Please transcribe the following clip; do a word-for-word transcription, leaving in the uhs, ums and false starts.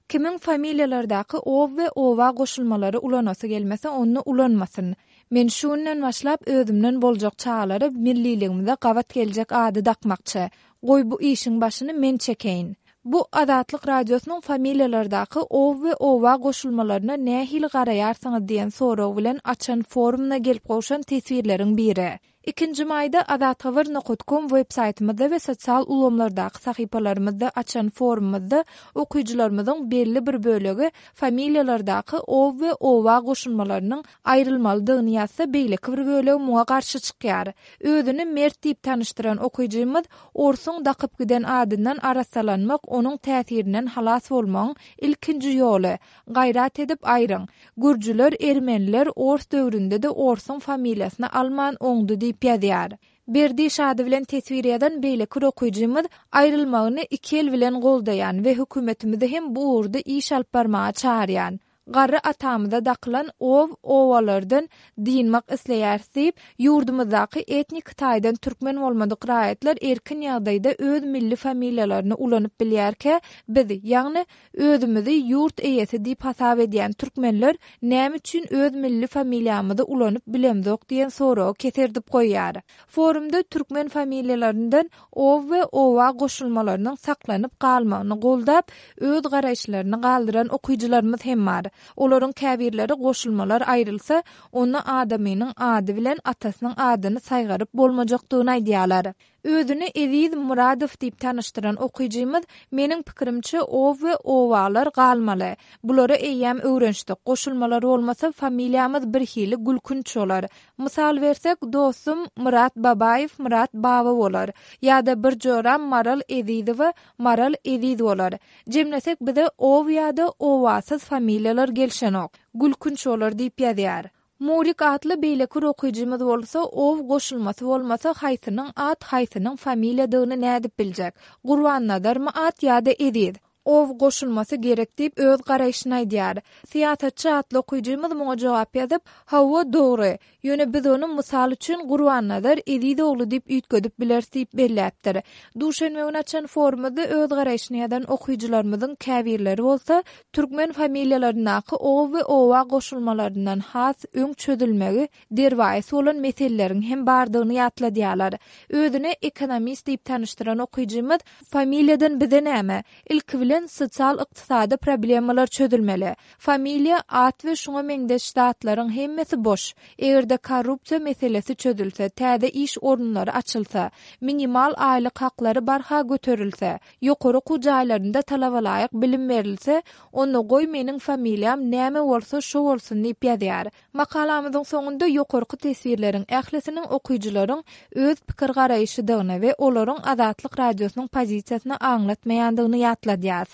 Kimiň familiýalardaky ow we owa goşulmalary ulanasy gelmese onda ulanmasyn. Men şu günden başlap özümden boljak çagalara milliligimize gabat geljek ady dakmakçy. Goý bu işiň başyny men çekeýin. Bu Azatlyk Radiosynyň familiýalardaky ow we owa goşulmalaryna nähili garaýarsyňyz diýen sorag bilen açan forumyna gelip gowşan teswirleriň biri. Ikinji maýda azathabar nokat kom web saýtymyzda we sosial ulgamlardaky sahypalarymyzda açan forumymyzda okyjylarymyzyň belli bir bölegi familiýalardaky ow we owa goşulmalarynyň aýrylmalydygyny ýazsa, beýleki bir bölegi muňa garşy çykýar. Özüni Mert diýip tanyşdyran okyjymyz orsuň dakyp giden adyndan arassalanmak onuň täsirinden halas bolmagyň ilkinji ýoly. Gaýrat edip aýryň. Gürjüler, ermeniler ors döwründe-de orsuň familiýasyny alman oňdy diýip ýazýar. Berdi Şady bilen teswir ýazan beýleki bir okyjymyz aýrylmagyny iki el bilen goldaýan we hökümetimizi hem bu ugurda iş alyp barmaga çagyrýan. Garry atamyza dakylan ow owalardan dynmak isleýäris diýip, ýurdumyzdaky etnik taýdan türkmen bolmadyk raýatlar erkin ýagdaýda öz milli familiýalaryny ulanyp bilýärkä, biz, ýagny özümizi ýurt eýesi diýip hasap edýän türkmenler näme üçin öz milli familiýamyzy ulanyp bilemzok diýen soragy keserdip goýýar. Forumda türkmen familiýalaryndan ow we owa goşulmalarynyň saklanyp galmagyny goldap, öz garaýyşlaryny galdyran okyjylarymyz hem bar. Olaryň käbirleri goşulmalar aýrylsa, onda adamynyň ady bilen atasynyň adyny saýgaryp bolmajakdygyny aýdýarlar. Özüni Eziz Muradow diýip tanyşdyran okyjymyz, meniň pikirimçe ow we owalar galmaly. Bulara eýýäm öwrenişdik. Goşulmalar bolmasa familiýamyz birhili gülkünç bolar. Mysal bersek, dostum Myrat Babaýew Myrat Baba bolar. Ýa-da bir joram Maral Ezizowa Maral Eziz bolar. Jemlesek bize ow ýa-da owasyz familiýalar gelşenok. Gülkünç bolar diýip ýazýar. Murik atly beýleki bir okyjymyz bolsa, ow goşulmasy bolmasa haýsynyň at, haýsynyň familiýadygyny nädip biljek? Gurbannazarmy at ýa-da Eziz? Ow goşulmasy gerek diýip öz garaýşyny aýdýar. Syýasatçy atly okyjymyz muňa jogap ýazyp, hawa dogry, ýöne biz ony mysal üçin Gurbannazar Eziz ogly diýip üýtgedip bileris diýip belläpdir. Duşenbe güni açan forumyzda öz garaýşyny ýazan okyjylarymyzyň käbirleri bolsa, türkmen familiýalaryndaky ow we owa goşulmalaryndan has öň çözülmegi derwaýys bolan meseleleriň hem bardygyny ýatladýarlar. Özüne ekonomist diýip tanyşdyran okyjymyz, familiýadan bize näme? Ilki bilen sosial-ykdysady problemalar çözülmeli. Familiýa, at we şuňa meňzeş zatlaryň hemmesi boş. Eger-de korrupsiýa meselesi çözülse, täze iş orunlary açylsa, minimal aýlyk haklary barha göterilse, ýokary okuw jaýlarynda talabalaýyk bilim berilse, onda goý meniň familiýam näme bolsa şo bolsun diýip ýazýar. Makalamyzyň soňunda ýokarky teswirleriň ählisiniň okyjylaryň öz pikir garaýşydygyny we olaryň Azatlyk Radiosynyň pozisiýasyny aňlatmaýandygyny ýatladýas.